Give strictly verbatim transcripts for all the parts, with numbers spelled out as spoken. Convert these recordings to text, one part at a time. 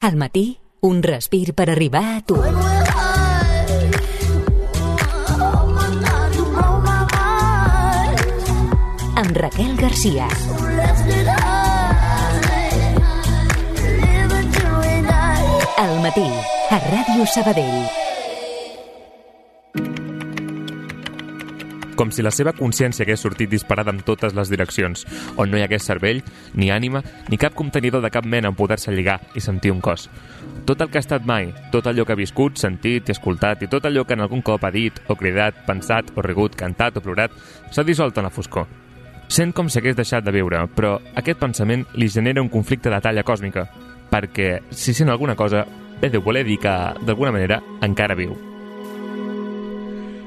Al matí, un respir per arribar a tu. Amb Raquel Garcia. Al matí, a Ràdio Sabadell. Com si la seva consciència hagués sortit disparada en totes les direccions, on no hi hagués cervell, ni ànima, ni cap contenidor de cap mena en poder-se lligar i sentir un cos. Tot el que ha estat mai, tot allò que ha viscut, sentit i escoltat, i tot allò que en algun cop ha dit, o cridat, pensat, o rigut, cantat o plorat, s'ha dissolt en la foscor. Sent com si hagués deixat de viure, però aquest pensament li genera un conflicte de talla còsmica, perquè, si sent alguna cosa, bé deu voler dir que, d'alguna manera, encara viu.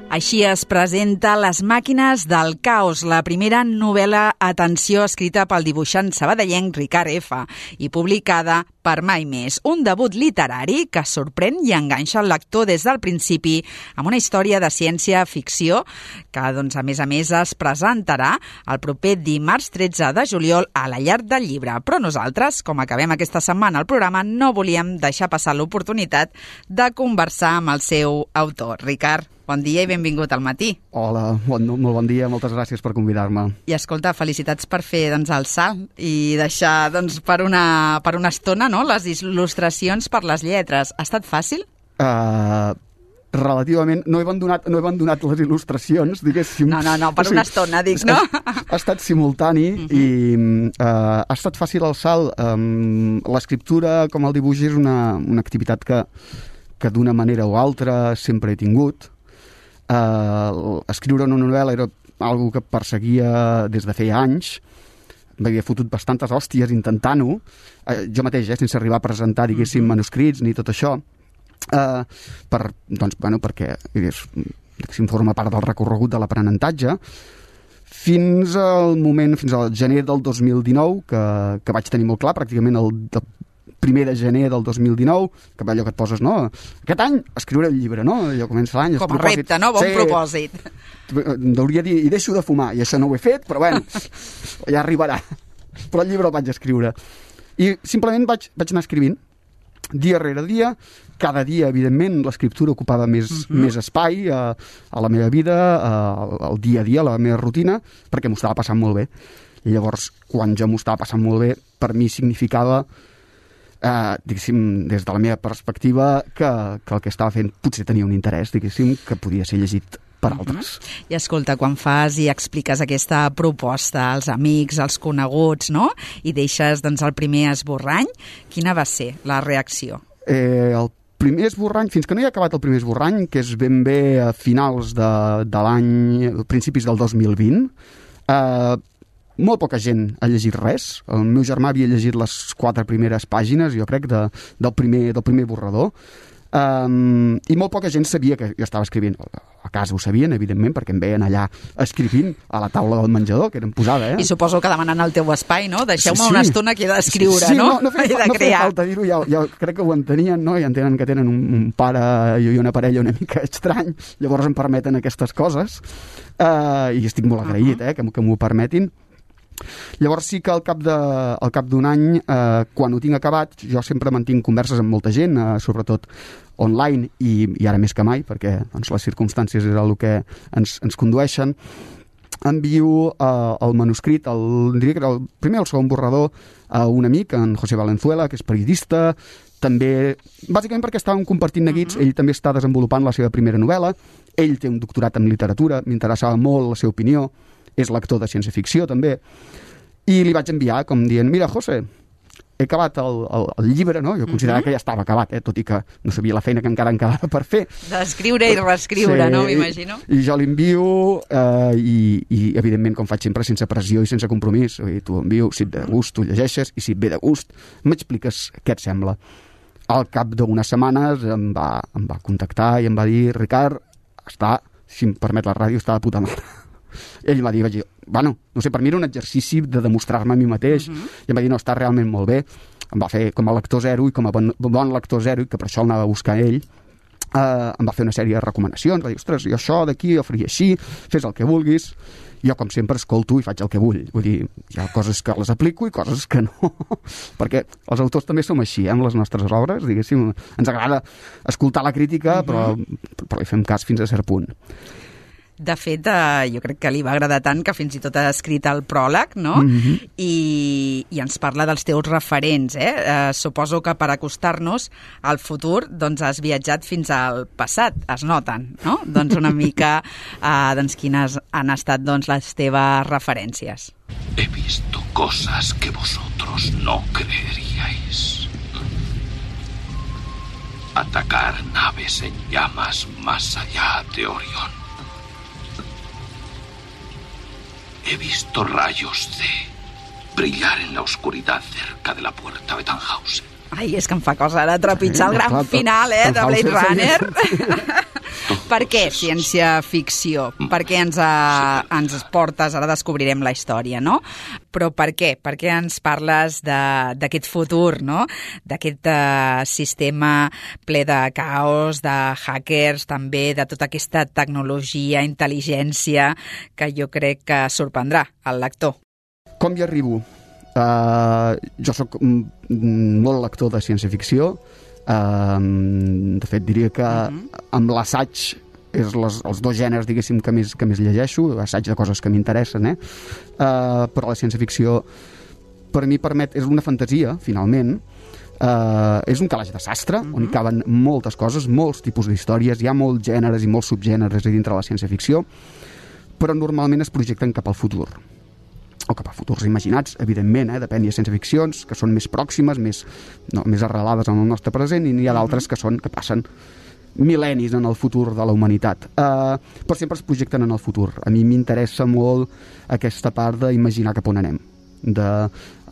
Així es presenta Les màquines del caos, la primera novel·la, atenció, escrita pel dibuixant sabadellenc Ricard F. i publicada per Mai Més. Un debut literari que sorprèn i enganxa el lector des del principi amb una història de ciència-ficció que, doncs, a més a més, es presentarà el proper dimarts tretze de juliol a la Llar del Llibre. Però nosaltres, com acabem aquesta setmana el programa, no volíem deixar passar l'oportunitat de conversar amb el seu autor. Ricard, bon dia i benvingut al matí. Hola, bon, molt bon dia, moltes gràcies per convidar-me. I escolta, felicitats per fer doncs, el salt i deixar doncs, per, una, per una estona, no?, les il·lustracions per les lletres. Ha estat fàcil? Uh, relativament. No he abandonat, no he abandonat les il·lustracions, diguéssim. No, no, no, per o sigui, una estona, dic, no? Ha, ha estat simultani uh-huh. i uh, ha estat fàcil el salt. Um, l'escriptura, com el dibuix, és una, una activitat que, que d'una manera o altra sempre he tingut. Uh, escriure una novel·la era algo que perseguia des de feia anys. M'havia fotut bastantes hòsties intentant-ho, uh, jo mateix, eh, sense arribar a presentar, diguéssim, manuscrits ni tot això, uh, per, doncs, bueno, perquè diguéssim, forma part del recorregut de l'aprenentatge, fins al moment, fins al gener del dos mil dinou, que, que vaig tenir molt clar, pràcticament el, el primer de gener del dos mil dinou, que allò que et poses, no? Aquest any escriuré el llibre, no? Allò comença l'any, com a repte, no? Bon sí, propòsit. Hauria de dir, i deixo de fumar, i això no ho he fet, però bueno, ja arribarà. Però el llibre el vaig escriure. I simplement vaig, vaig anar escrivint, dia rere dia, cada dia, evidentment, l'escriptura ocupava més, uh-huh. més espai a, a la meva vida, a, al dia a dia, a la meva rutina, perquè m'ho estava passant molt bé. I llavors, quan jo m'ho estava passant molt bé, per mi significava Uh, diguéssim, des de la meva perspectiva, que, que el que estava fent potser tenia un interès, diguéssim, que podia ser llegit per altres. Uh-huh. I escolta, quan fas i expliques aquesta proposta als amics, als coneguts, no?, i deixes doncs, el primer esborrany, quina va ser la reacció? Eh, el primer esborrany, fins que no hi ha acabat el primer esborrany, que és ben bé a finals de, de l'any, principis del dos mil vint, eh, molt poca gent ha llegit res. El meu germà havia llegit les quatre primeres pàgines, jo crec, de, del, primer, del primer borrador. Um, I molt poca gent sabia que jo estava escrivint. A casa ho sabien, evidentment, perquè em veien allà escrivint a la taula del menjador, que era posada, eh? I suposo que demanant el teu espai, no? Deixeu-me sí, una estona que he d'escriure, sí, sí, no? No, no feia, no feia falta dir-ho, ja, ja crec que ho entenien, no? I entenen que tenen un, un pare i una parella una mica estrany, llavors em permeten aquestes coses. Uh, I estic molt agraït, uh-huh. eh, que, que m'ho permetin. Llavors sí que al cap de, al cap d'un any, eh, quan ho tinc acabat, jo sempre mantinc converses amb molta gent, eh, sobretot online i, i ara més que mai, perquè doncs, les circumstàncies és el que ens, ens condueixen. Envio eh, el manuscrit, el, diria que era el primer o el segon borrador, a un amic, en José Valenzuela, que és periodista, també, bàsicament perquè estàvem compartint neguits, uh-huh. ell també està desenvolupant la seva primera novel·la, ell té un doctorat en literatura, m'interessava molt la seva opinió, és lector de ciència-ficció també, i li vaig enviar com dient, mira, José, he acabat el, el, el llibre, no? Jo considerava uh-huh. que ja estava acabat, eh? Tot i que no sabia la feina que encara em quedava per fer. D'escriure i reescriure, sí, no? M'imagino. I, i jo l'envio eh, i, i, evidentment, com faig sempre, sense pressió i sense compromís. T'ho envio, si et ve de gust, tu llegeixes, i si et ve de gust, m'expliques què et sembla. Al cap d'unes setmanes em va, em va contactar i em va dir, Ricard, està, si em permet la ràdio, està de puta mare. Ell em va dir, vaig dir, bueno, no sé, per mi era un exercici de demostrar-me a mi mateix, uh-huh. i em va dir, no, està realment molt bé. Em va fer com a lector zero i com a bon, bon lector zero, i que per això el anava a buscar ell, Uh, em va fer una sèrie de recomanacions, va dir, ostres, jo això d'aquí, jo faria així, fes el que vulguis. Jo, com sempre, escolto i faig el que vull. Vull dir, hi ha coses que les aplico i coses que no. Perquè els autors també som així, eh, amb les nostres obres, diguéssim. Ens agrada escoltar la crítica, però, però li fem cas fins a cert punt. De fet, eh, jo crec que li va agradar tant que fins i tot ha escrit el pròleg, no? Mm-hmm. I, i ens parla dels teus referents, eh? eh? Suposo que per acostar-nos al futur, doncs has viatjat fins al passat, es noten, no? Doncs una mica, eh, doncs quines han estat doncs, les teves referències. He visto cosas que vosotros no creeríais. Atacar naves en llamas más allá de Orión. He visto rayos C brillar en la oscuridad cerca de la puerta de Tannhausen. Ai, és que em fa cosa ara trepitjar el gran final, eh, de Blade Runner. Per què ciència-ficció? Per què ens, a, ens portes, ara descobrirem la història, no? Però per què? Per què ens parles d'aquest futur, no? D'aquest uh, sistema ple de caos, de hackers, també de tota aquesta tecnologia, intel·ligència, que jo crec que sorprendrà el lector. Com hi arribo? Uh, jo sóc molt lector de ciència-ficció. Uh, de fet, diria que uh-huh. amb l'assaig és les, els dos gèneres, diguéssim, que més, que més llegeixo, assaig de coses que m'interessen, eh? Uh, però la ciència-ficció per mi permet, és una fantasia, finalment, uh, és un calaix de sastre, uh-huh. on hi caben moltes coses, molts tipus d'històries, hi ha molts gèneres i molts subgèneres dintre la ciència-ficció, però normalment es projecten cap al futur. O cap a futurs imaginats, evidentment, eh? Depèn, hi ha ciència-ficcions que són més pròximes, més, no, més arrelades en el nostre present, i n'hi ha d'altres que són que passen mil·lennis en el futur de la humanitat. Uh, però sempre es projecten en el futur. A mi m'interessa molt aquesta part d'imaginar cap on anem, de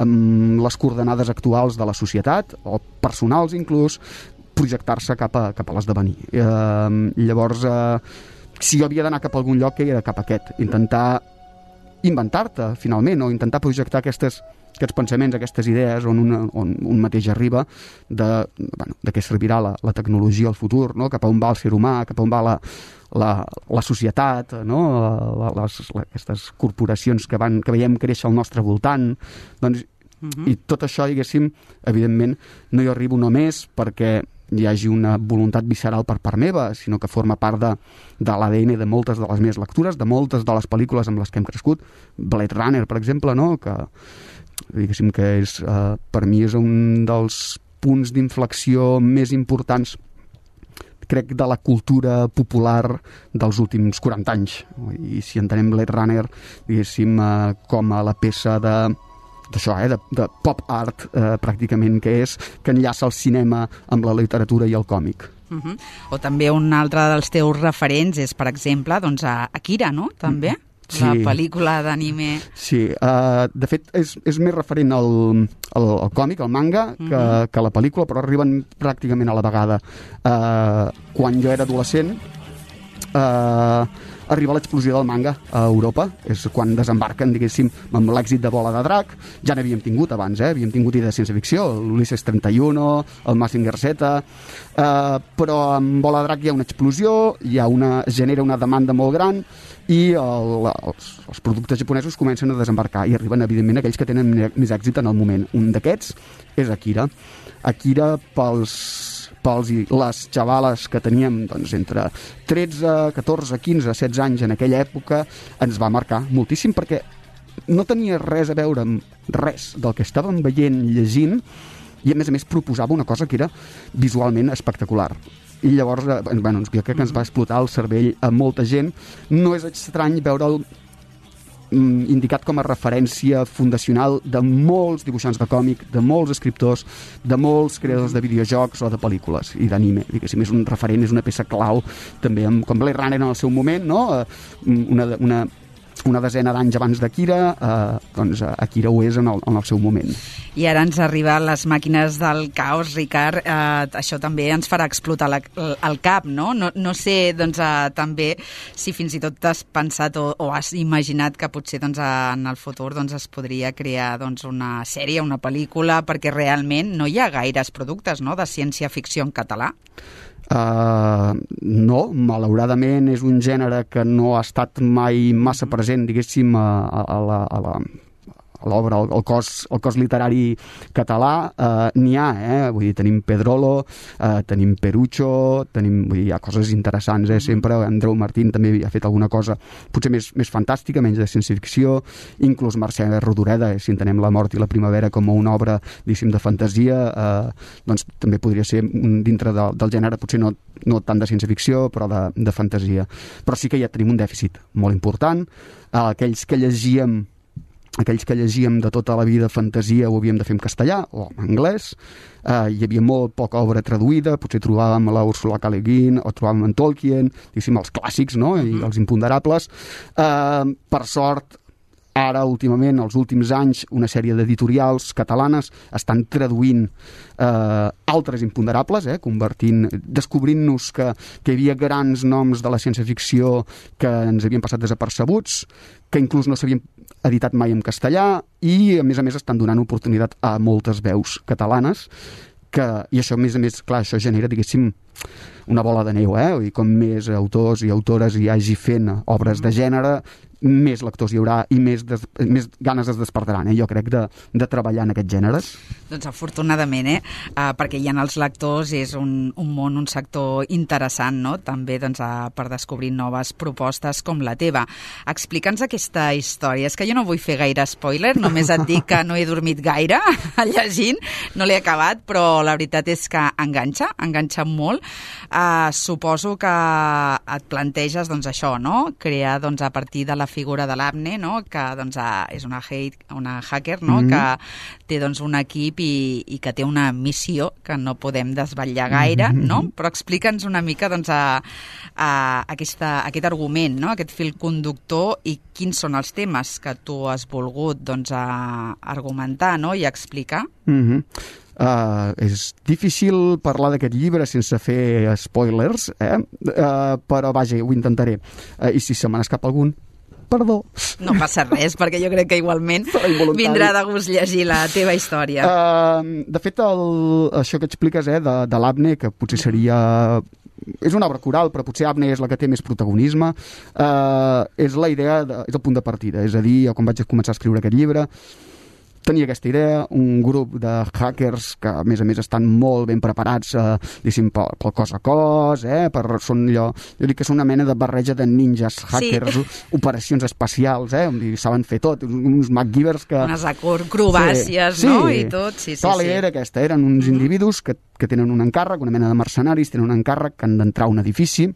amb les coordenades actuals de la societat, o personals inclús, projectar-se cap a, cap a l'esdevenir. Uh, llavors, uh, si jo havia d'anar cap a algun lloc, era cap a aquest. Intentar inventar-te, finalment, o intentar projectar aquestes, aquests pensaments, aquestes idees on, una, on un mateix arriba de, bueno, de què servirà la, la tecnologia al futur, no? Cap a on va el ser humà, cap a on va la, la, la societat, no? la, les, la, aquestes corporacions que, van, que veiem créixer al nostre voltant. Doncs, uh-huh. I tot això, diguéssim, evidentment, no hi arribo només perquè hi hagi una voluntat visceral per part meva, sinó que forma part de, de l'A D N de moltes de les meves lectures, de moltes de les pel·lícules amb les que hem crescut. Blade Runner, per exemple, no? Que, diguéssim que és, eh, per mi és un dels punts d'inflexió més importants, crec, de la cultura popular dels últims quaranta anys. I si entenem Blade Runner, diguéssim, eh, com a la peça de d'això, eh, de, de pop art, eh, pràcticament, que és, que enllaça el cinema amb la literatura i el còmic. Uh-huh. O també un altre dels teus referents és, per exemple, doncs, a Akira, no?, també? Sí. La pel·lícula d'anime. Sí, uh, de fet, és, és més referent al, al, al còmic, al manga, que, uh-huh. que a la pel·lícula, però arriben pràcticament a la vegada. Uh, quan jo era adolescent, uh, arriba l'explosió del manga a Europa, és quan desembarquen, diguéssim, amb l'èxit de Bola de Drac. Ja n'havíem tingut abans, eh? Havíem tingut idees de ciència-ficció, l'Ulisses trenta i u, el Mazinger Z, eh, però amb Bola de Drac hi ha una explosió, hi ha una, genera una demanda molt gran i el, els, els productes japonesos comencen a desembarcar i arriben, evidentment, aquells que tenen més èxit en el moment. Un d'aquests és Akira. Akira pels... pels i les xavales que teníem doncs, entre tretze, catorze, quinze, setze anys en aquella època, ens va marcar moltíssim perquè no tenia res a veure amb res del que estàvem veient, llegint, i a més a més proposava una cosa que era visualment espectacular. I llavors, bueno, jo crec que ens va explotar el cervell a molta gent. No és estrany veure'l indicat com a referència fundacional de molts dibuixants de còmic, de molts escriptors, de molts creadors de videojocs o de pel·lícules i d'anime. Diguéssim, és un referent, és una peça clau també, amb, com Blade Runner en el seu moment, no? Una, una, una desena d'anys abans d'Akira, eh, doncs Akira ho és en el, en el seu moment. I ara ens arriben les màquines del caos, Ricard. Eh, això també ens farà explotar la, el cap, no? No, no sé, doncs, eh, també, si fins i tot has pensat o, o has imaginat que potser doncs, en el futur doncs, es podria crear doncs, una sèrie, una pel·lícula, perquè realment no hi ha gaires productes, no?, de ciència-ficció en català. Uh, no, malauradament és un gènere que no ha estat mai massa present, diguéssim, a, a, la, a la l'obra, el, el, cos, el cos literari català. eh, n'hi ha, eh? Vull dir, tenim Pedrolo, eh, tenim Perucho, tenim, vull dir, hi ha coses interessants, eh? Sempre Andreu Martín també ha fet alguna cosa potser més, més fantàstica, menys de ciència-ficció, inclús Mercè Rodoreda, eh? Si entenem La mort i la primavera com una obra, diguéssim, de fantasia, eh, doncs també podria ser dintre de, del gènere, potser no, no tant de ciència-ficció, però de, de fantasia. Però sí que ja tenim un dèficit molt important. Eh, aquells que llegíem aquells que llegíem de tota la vida fantasia ho havíem de fer en castellà o en anglès. Eh, hi havia molt poca obra traduïda, potser trobàvem la Ursula K. Le Guin o trobàvem en Tolkien, diguéssim, els clàssics, no? I els imponderables. Eh, per sort, ara, últimament, els últims anys, una sèrie d'editorials catalanes estan traduint eh, altres imponderables, eh, convertint, descobrint-nos que, que hi havia grans noms de la ciència-ficció que ens havien passat desapercebuts, que inclús no s'havien editat mai en castellà, i a més a més estan donant oportunitat a moltes veus catalanes, que, i això a més a més, clar, això genera, diguéssim, una bola de neu, eh? I com més autors i autores hi hagi fent obres de gènere, més lectors hi haurà i més, des, més ganes es despertaran, eh? Jo crec, de, de treballar en aquests gèneres. Doncs afortunadament, eh? Uh, perquè hi ha els lectors, és un, un món, un sector interessant, no? També doncs, uh, per descobrir noves propostes com la teva. Explica'ns aquesta història. És que jo no vull fer gaire spoiler, només et dic que no he dormit gaire llegint, no l'he acabat, però la veritat és que enganxa, enganxa molt. Uh, suposo que et planteges doncs, això, no? Crear doncs, a partir de la figura de l'Abne, no? Que doncs, és una, hate, una hacker, no? Mm-hmm. Que té doncs, un equip i, i que té una missió que no podem desvetllar gaire, mm-hmm. no? Però explica'ns una mica doncs, a, a aquesta, aquest argument, no? Aquest fil conductor, i quins són els temes que tu has volgut doncs, a argumentar, no? I explicar. Mm-hmm. Uh, és difícil parlar d'aquest llibre sense fer spoilers, eh? Uh, però vaja, ho intentaré. Uh, I si se me n'escapa algun, perdó. No passa res, perquè jo crec que igualment vindrà de gust llegir la teva història. Uh, de fet, el, això que expliques eh, de, de l'Abne, que potser seria... És una obra coral, però potser Abne és la que té més protagonisme. Uh, és la idea, de, és el punt de partida. És a dir, quan vaig començar a escriure aquest llibre, tenia aquesta idea, un grup de hackers que, a més a més, estan molt ben preparats, eh, diguéssim, pel, pel cos a cos, eh, per, són allò, jo dic que són una mena de barreja de ninjas hackers, sí. Operacions espacials, eh, on saben fer tot, uns MacGyvers que... Unes acrobàcies, sí, no? Sí. I tot, sí, sí. Clar, sí. Era aquesta, eren uns mm-hmm. individus que, que tenen un encàrrec, una mena de mercenaris, tenen un encàrrec que han d'entrar a un edifici.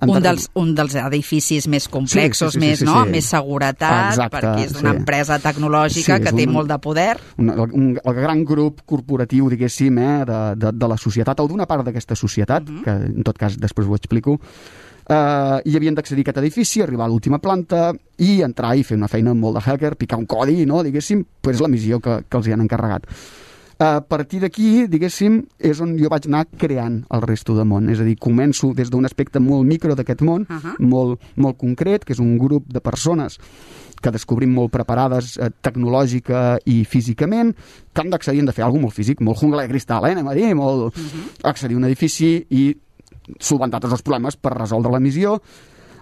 Un dels, un dels edificis més complexos, sí, sí, sí, més, sí, sí, no? Sí. Més seguretat, exacte, perquè és d'una sí. empresa tecnològica sí, que té un, molt de poder. Un, un, el gran grup corporatiu, diguéssim, eh, de, de, de la societat, o d'una part d'aquesta societat, uh-huh. que en tot cas després ho explico, eh, i havien d'accedir a aquest edifici, arribar a l'última planta i entrar i fer una feina molt de hacker, picar un codi, no? Diguéssim, pues és la missió que, que els hi han encarregat. A partir d'aquí, diguéssim, és on jo vaig anar creant el resto del món. És a dir, començo des d'un aspecte molt micro d'aquest món, uh-huh. molt, molt concret, que és un grup de persones que descobrim molt preparades eh, tecnològica i físicament, que han d'accedir, han de fer alguna molt físic, molt jungla de cristal, eh, anem a dir, molt... Uh-huh. Accedir a un edifici i solventar tots els problemes per resoldre la missió,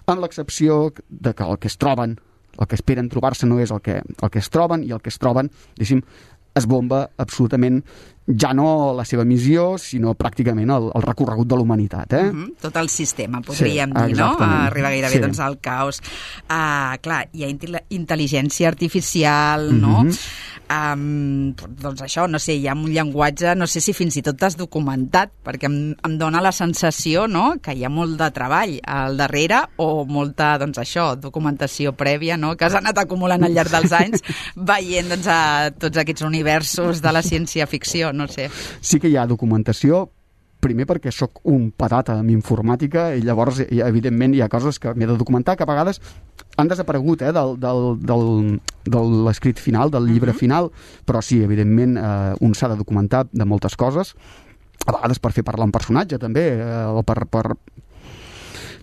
amb l'excepció de que el que es troben, el que esperen trobar-se no és el que, el que es troben, i el que es troben, diguéssim, es bomba absolutament ja no la seva missió, sinó pràcticament el, el recorregut de la humanitat. Eh? Mm-hmm. Tot el sistema, podríem sí, dir, no? Arriba gairebé sí. doncs, al caos. Uh, clar, hi ha intel·ligència artificial, mm-hmm. no? Um, doncs això, no sé, hi ha un llenguatge, no sé si fins i tot t'has documentat, perquè em, em dóna la sensació, no?, que hi ha molt de treball al darrere, o molta, doncs això, documentació prèvia, no?, que has anat acumulant al llarg dels anys, veient, doncs, a tots aquests universos de la ciència-ficció, no sé. Sí que hi ha documentació, primer perquè sóc un patata amb informàtica, i llavors, evidentment, hi ha coses que m'he de documentar, que a vegades han desaparegut eh, del, del, del, de l'escrit final, del llibre uh-huh. final, però sí, evidentment, eh, un s'ha de documentar de moltes coses, a vegades per fer parlar un personatge, també, eh, o per, per,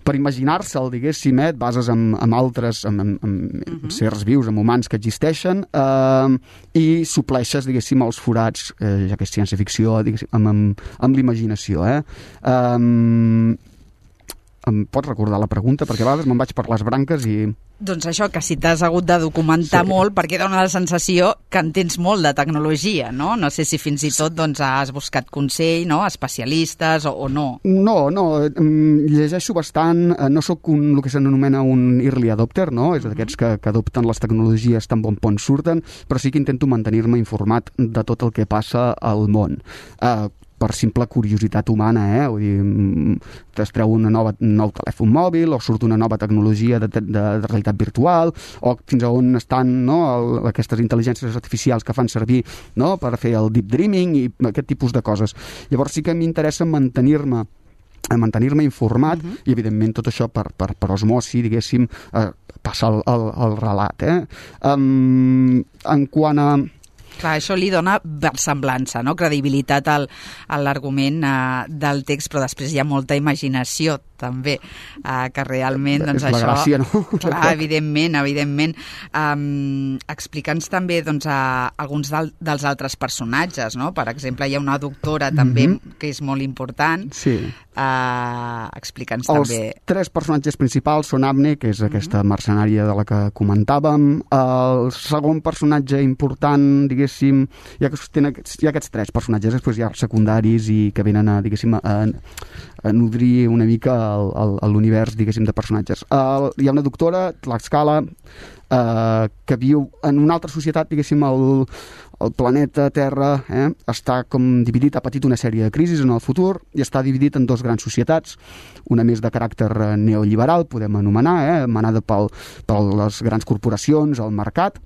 per imaginar-se'l, diguéssim, eh, et bases en, en altres, en, en, en uh-huh. sers vius, en humans que existeixen, eh, i supleixes, diguéssim, els forats, eh, ja que és ciència-ficció, diguéssim, amb, amb, amb l'imaginació. Eh? Eh, em pots recordar la pregunta? Perquè a vegades me'n vaig per les branques i... Doncs això, que si t'has hagut de documentar sí. molt, perquè dona la sensació que entens molt de tecnologia, no? No sé si fins i tot doncs, has buscat consell, no? Especialistes o, o no. No, no, llegeixo bastant, no sóc un, el que s'anomena un early adopter, no? És d'aquests que, que adopten les tecnologies tan bon pont surten, però sí que intento mantenir-me informat de tot el que passa al món. Eh, per simple curiositat humana, eh? Vull dir, es treu una nova, un nou telèfon mòbil o surt una nova tecnologia de, de, de realitat virtual o fins a on estan, no, el, aquestes intel·ligències artificials que fan servir, no, per fer el deep dreaming i aquest tipus de coses. Llavors sí que m'interessa mantenir-me a mantenir-me informat uh-huh. i evidentment tot això per, per, per osmosi, diguéssim, eh, passa el, el, el relat. Eh? Um, en quant a... Clar, això li dona versemblança, no? Credibilitat al, a l'argument uh, del text, però després hi ha molta imaginació també, uh, que realment doncs, és la això... gràcia, no? Clar, evidentment, evidentment. Um, Explica'ns també doncs, a alguns del, dels altres personatges, no? Per exemple, hi ha una doctora també, mm-hmm. que és molt important. Sí. Uh, Explica'ns Els també... Els tres personatges principals són Abne, que és aquesta mm-hmm. mercenària de la que comentàvem. El segon personatge important, diguéssim, hi ha, hi ha aquests tres personatges, després hi ha secundaris i que venen a, diguéssim, a, a nodrir una mica l'univers, diguéssim, de personatges. Uh, hi ha una doctora, Tlaxcala, uh, que viu en una altra societat, diguéssim, el, el planeta Terra eh, està com dividit, ha patit una sèrie de crisis en el futur i està dividit en dos grans societats, una més de caràcter neoliberal, podem anomenar, eh, manada pel, per les grans corporacions, el mercat,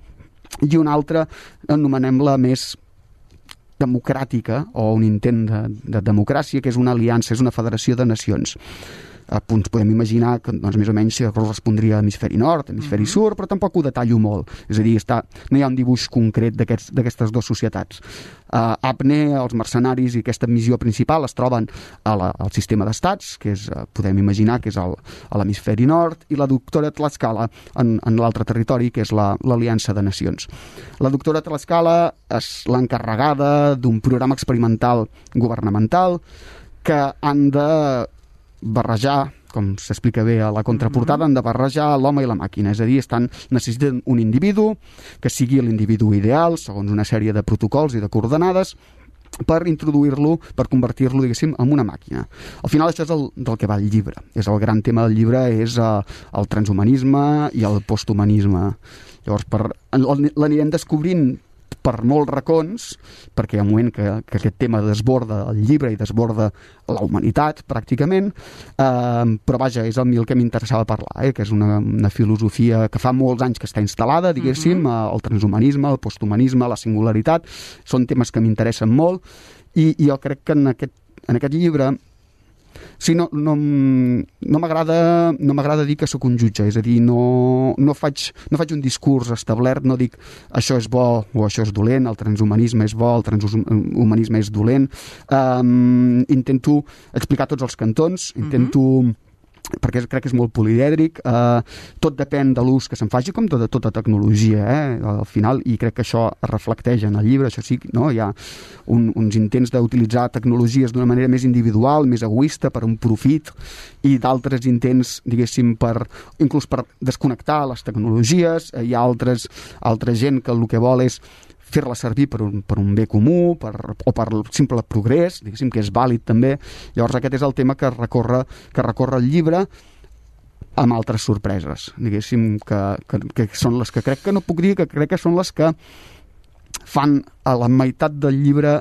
i una altra, anomenem-la més democràtica o un intent de, de democràcia, que és una aliança, és una federació de nacions. A punts podem imaginar que doncs, més o menys correspondria a hemisferi nord, hemisferi sur, però tampoc ho detallo molt. És a dir, està, no hi ha un dibuix concret d'aquestes dues societats. Uh, Abne, els mercenaris i aquesta missió principal es troben a la, al sistema d'estats, que és, uh, podem imaginar que és el, a l'hemisferi nord, i la doctora Tlaxcala en, en l'altre territori, que és la, l'Aliança de Nacions. La doctora Tlaxcala és l'encarregada d'un programa experimental governamental que han de barrejar, com s'explica bé a la contraportada, han de barrejar l'home i la màquina, és a dir, estan, necessiten un individu que sigui l'individu ideal, segons una sèrie de protocols i de coordenades, per introduir-lo, per convertir-lo, diguéssim, en una màquina. Al final això és el, del que va el llibre. És el gran tema del llibre, és uh, el transhumanisme i el posthumanisme. Llavors, per, l'anirem descobrint per molts racons, perquè hi ha un moment que, que aquest tema desborda el llibre i desborda la humanitat, pràcticament, eh, però vaja, és el, el que m'interessava parlar, eh, que és una, una filosofia que fa molts anys que està instal·lada, diguéssim, uh-huh. el transhumanisme, el posthumanisme, la singularitat, són temes que m'interessen molt, i, i jo crec que en aquest, en aquest llibre sí, no, no, no m'agrada no m'agrada dir que sóc un jutge, és a dir, no, no, faig, no faig un discurs establert, no dic això és bo o això és dolent, el transhumanisme és bo, el transhumanisme és dolent. Um, intento explicar tots els cantons, intento... Uh-huh. perquè crec que és molt polièdric, eh, tot depèn de l'ús que se'n faci, com tota, tota tecnologia, eh, al final, i crec que això es reflecteix en el llibre, això sí, no? Hi ha un, uns intents d'utilitzar tecnologies d'una manera més individual, més egoista, per un profit, i d'altres intents, diguéssim, per, inclús per desconnectar les tecnologies. Hi ha altres, altra gent que el que vol és fer-la servir per un, per un bé comú, per, o per simple progrés, diguéssim, que és vàlid també. Llavors aquest és el tema que recorre, que recorre el llibre, amb altres sorpreses, diguéssim, que, que, que són les que crec que no puc dir, que crec que són les que fan a la meitat del llibre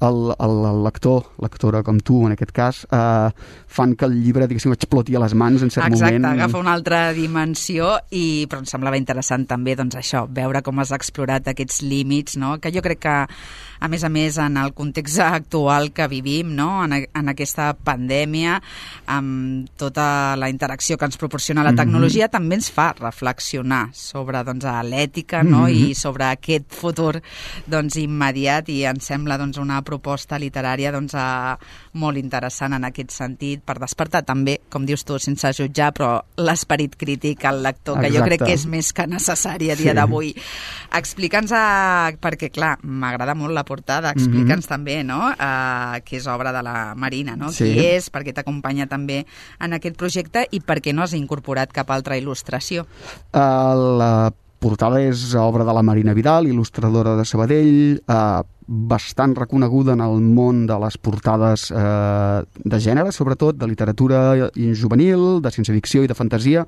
el, el, el lector, lectora com tu en aquest cas, eh, fan que el llibre, diguéssim, exploti a les mans en cert Exacte, moment. Exacte, agafa una altra dimensió, i, però em semblava interessant també doncs, això, veure com has explorat aquests límits, no? Que jo crec que, a més a més, en el context actual que vivim, no? en, en aquesta pandèmia, amb tota la interacció que ens proporciona la tecnologia, mm-hmm. també ens fa reflexionar sobre doncs, l'ètica, no? Mm-hmm. I sobre aquest futur doncs, immediat, i ens sembla doncs, una proposta literària doncs, eh, molt interessant en aquest sentit, per despertar també, com dius tu, sense jutjar, però l'esperit crític al lector, que Exacte. jo crec que és més que necessari a dia sí. d'avui. Explica'ns, a... perquè clar, m'agrada molt la portada, explica'ns mm-hmm. també, no?, uh, que és obra de la Marina, no? Sí. Qui és, per què t'acompanya també en aquest projecte i per què no has incorporat cap altra il·lustració? Uh, la portada és obra de la Marina Vidal, il·lustradora de Sabadell, eh, bastant reconeguda en el món de les portades eh, de gènere, sobretot de literatura juvenil, de ciència-ficció i de fantasia.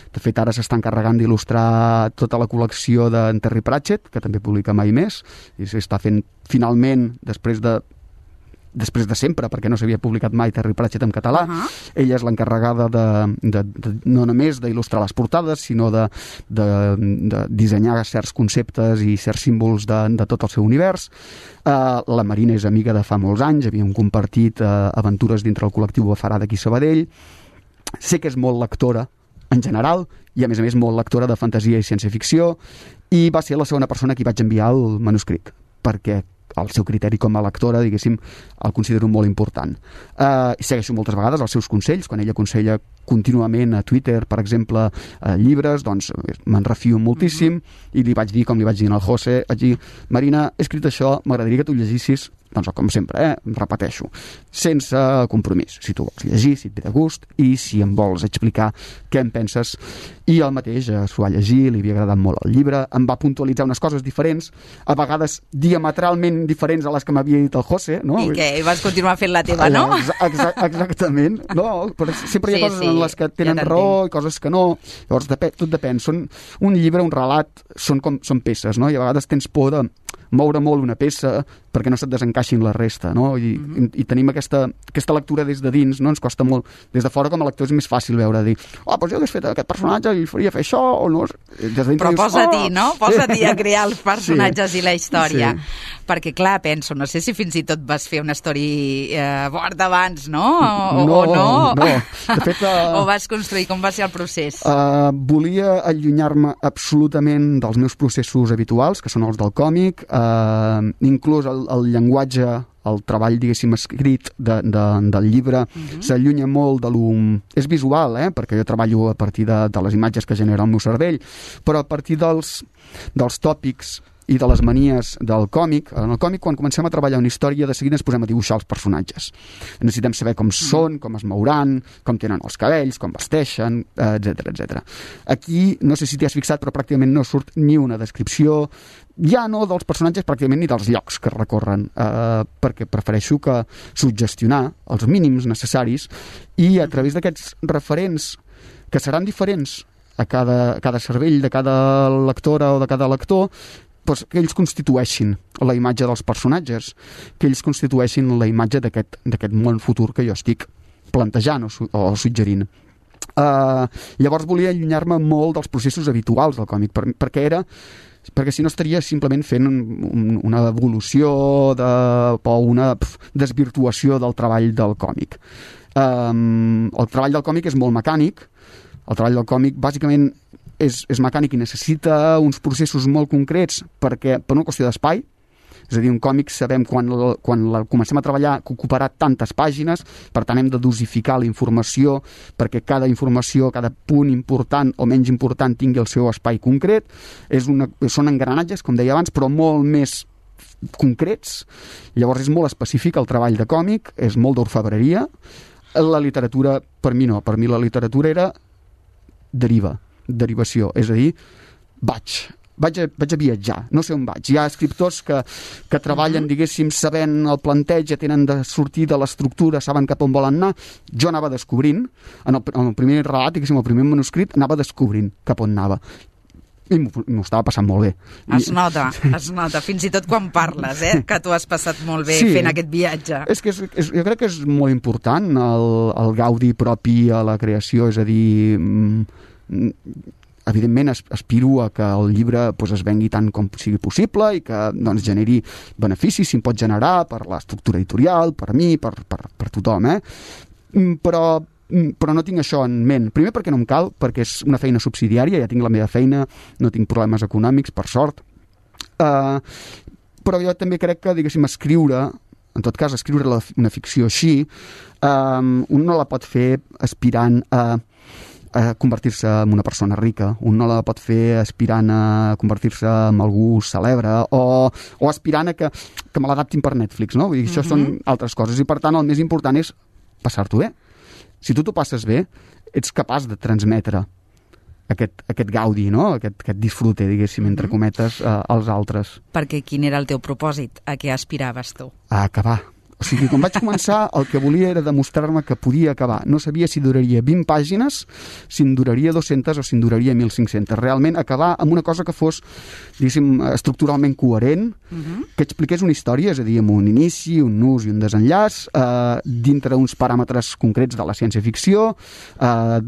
De fet, ara s'està encarregant d'il·lustrar tota la col·lecció d'en Terry Pratchett, que també publica Mai Més, i s'està fent finalment, després de després de sempre, perquè no s'havia publicat mai Terry Pratchett en català. Uh-huh. Ella és l'encarregada de, de, de, no només d'il·lustrar les portades, sinó de, de, de dissenyar certs conceptes i certs símbols de, de tot el seu univers. Uh, la Marina és amiga de fa molts anys, havíem compartit uh, aventures dintre el col·lectiu Bafarà d'aquí Sabadell. Sé que és molt lectora, en general, i a més a més molt lectora de fantasia i ciència-ficció, i va ser la segona persona a qui vaig enviar el manuscrit, perquè el seu criteri com a lectora, diguéssim, el considero molt important. Uh, i segueixo moltes vegades els seus consells, quan ella aconsella contínuament a Twitter, per exemple, uh, llibres, doncs me'n refio moltíssim, mm-hmm. i li vaig dir, com li vaig dir al José, vaig dir, Marina, he escrit això, m'agradaria que tu llegissis, doncs com sempre, eh, repeteixo, sense compromís, si tu vols llegir, si et ve de gust, i si em vols explicar què en penses. I el mateix eh, s'ho va llegir, li havia agradat molt el llibre, em va puntualitzar unes coses diferents, a vegades diametralment diferents a les que m'havia dit el José, no? I què? I vas continuar fent la teva, no? Exa exactament, no? Però sempre hi ha sí, coses sí, en les que tenen ja raó i coses que no, llavors depèn, tot depèn. Són, un llibre, un relat, són com són peces, no? I a vegades tens por de moure molt una peça perquè no se't desencaixin la resta, no? I, mm-hmm. i, i tenim aquesta, aquesta lectura des de dins, no? Ens costa molt. Des de fora, com a lector, és més fàcil veure, dir, oh, doncs jo hagués fet aquest personatge i faria fer això, o no? Des de Però dius, posa-t'hi, oh! no? Posa-t'hi a crear els personatges sí. i la història. Sí. Perquè, clar, penso, no sé si fins i tot vas fer una història eh, board abans, no? O no, o no? no. De fet, uh, o vas construir, com va ser el procés? Uh, volia allunyar-me absolutament dels meus processos habituals, que són els del còmic, uh, inclús el, el llenguatge, el treball, diguéssim, escrit de, de, del llibre uh-huh. s'allunya molt de lo... És visual, eh? Perquè jo treballo a partir de, de les imatges que genera el meu cervell, però a partir dels, dels tòpics i de les manies del còmic. En el còmic, quan comencem a treballar una història, de seguida ens posem a dibuixar els personatges. Necessitem saber com són, com es mouran, com tenen els cabells, com vesteixen, etcètera, etcètera. Aquí, no sé si t'hi has fixat, però pràcticament no surt ni una descripció, ja no dels personatges, pràcticament ni dels llocs que recorren, eh, perquè prefereixo que suggestionar els mínims necessaris i a través d'aquests referents que seran diferents a cada, a cada cervell de cada lectora o de cada lector, doncs que ells constitueixin la imatge dels personatges, que ells constitueixin la imatge d'aquest d'aquest món futur que jo estic plantejant o, su o suggerint. Uh, llavors volia allunyar-me molt dels processos habituals del còmic, per, perquè era perquè si no estaria simplement fent un, un, una evolució de, o una pf, desvirtuació del treball del còmic. Um, el treball del còmic és molt mecànic, el treball del còmic bàsicament és, és mecànic i necessita uns processos molt concrets perquè, per una qüestió d'espai, és a dir, un còmic sabem quan, la, quan la comencem a treballar que ocuparà tantes pàgines, per tant hem de dosificar la informació perquè cada informació, cada punt important o menys important tingui el seu espai concret. És una, són engranatges, com deia abans, però molt més concrets. Llavors és molt específic el treball de còmic, és molt d'orfebreria. La literatura, per mi no, per mi la literatura era deriva, derivació, és a dir, vaig, vaig a, vaig a viatjar, no sé on vaig. Hi ha escriptors que, que treballen, diguéssim, sabent el planteig, ja tenen de sortir de l'estructura, saben cap on volen anar. Jo anava descobrint, en el, en el primer relat, diguéssim, el primer manuscrit, anava descobrint cap on anava. I m'ho estava passant molt bé. Es nota, es nota, fins i tot quan parles, eh? Que tu has passat molt bé sí, fent aquest viatge. És que és, és, jo crec que és molt important el, el gaudi propi a la creació, és a dir, evidentment aspiro a que el llibre doncs, es vengui tant com sigui possible i que doncs, generi beneficis, si en pot generar per l'estructura editorial, per mi, per, per, per tothom, eh? Però però no tinc això en ment. Primer perquè no em cal, perquè és una feina subsidiària, ja tinc la meva feina, no tinc problemes econòmics, per sort. Uh, però jo també crec que, diguéssim, escriure en tot cas, escriure la, una ficció així, um, un no la pot fer aspirant a a convertir-se en una persona rica, un no la pot fer aspirant a convertir-se en algú celebre o, o aspirant a que, que me l'adaptin per Netflix, no? Vull dir, això mm-hmm. són altres coses i per tant el més important és passar-t'ho bé. Si tu t'ho passes bé, ets capaç de transmetre aquest, aquest gaudi, no? aquest, aquest disfrute, diguéssim, mm-hmm. entre cometes, eh, als altres. Perquè quin era el teu propòsit? A què aspiraves tu? A acabar. O sigui, quan vaig començar, el que volia era demostrar-me que podia acabar. No sabia si duraria vint pàgines, si en duraria dues-centes o si en duraria mil cinc-centes. Realment, acabar amb una cosa que fos, diguéssim, estructuralment coherent, uh-huh. que expliqués una història, és a dir, amb un inici, un nus i un desenllaç, eh, dintre uns paràmetres concrets de la ciència-ficció, eh,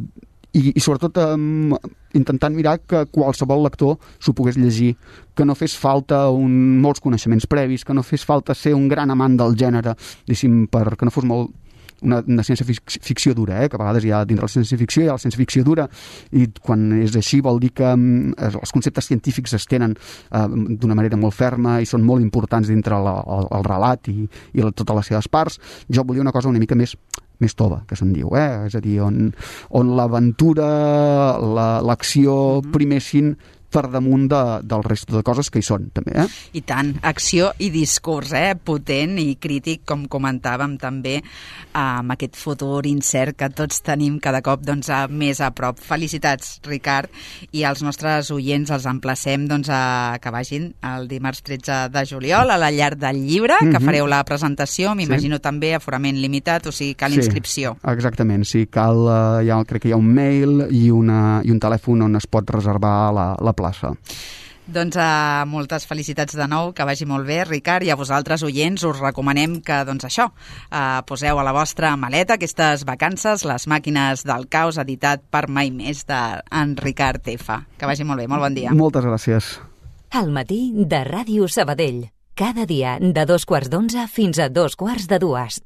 i, i sobretot um, intentant mirar que qualsevol lector s'ho pogués llegir, que no fes falta un, molts coneixements previs, que no fes falta ser un gran amant del gènere, diguéssim, per, que no fos molt una, una ciència-ficció dura, eh? Que a vegades hi ha dintre la ciència-ficció hi ha la ciència-ficció dura, i quan és així vol dir que um, els conceptes científics es tenen uh, d'una manera molt ferma i són molt importants dintre la, el, el relat i, i la, totes les seves parts. Jo volia una cosa una mica més més tova, que se'n diu, eh? És a dir, on, on l'aventura, la, l'acció mm-hmm. primessin per damunt de, del resto de coses que hi són, també, eh? I tant, acció i discurs, eh? Potent i crític, com comentàvem també, amb aquest futur incert que tots tenim cada cop doncs, a, més a prop. Felicitats, Ricard, i als nostres oients els emplacem doncs, a que vagin el dimarts tretze de juliol a la Llar del Llibre, mm-hmm. que fareu la presentació, m'imagino sí. també aforament limitat, o sigui, cal sí, inscripció. Exactament, sí, cal, eh, ja, crec que hi ha un mail i, una, i un telèfon on es pot reservar la, la plaça. Doncs uh, moltes felicitats de nou, que vagi molt bé, Ricard, i a vosaltres, oients, us recomanem que, doncs això, uh, poseu a la vostra maleta aquestes vacances, Les màquines del caos, editat per Mai Més, d'en Ricard F. Que vagi molt bé, molt bon dia. Moltes gràcies. Al matí de Ràdio Sabadell. Cada dia de dos quarts d'onze fins a dos quarts de dues.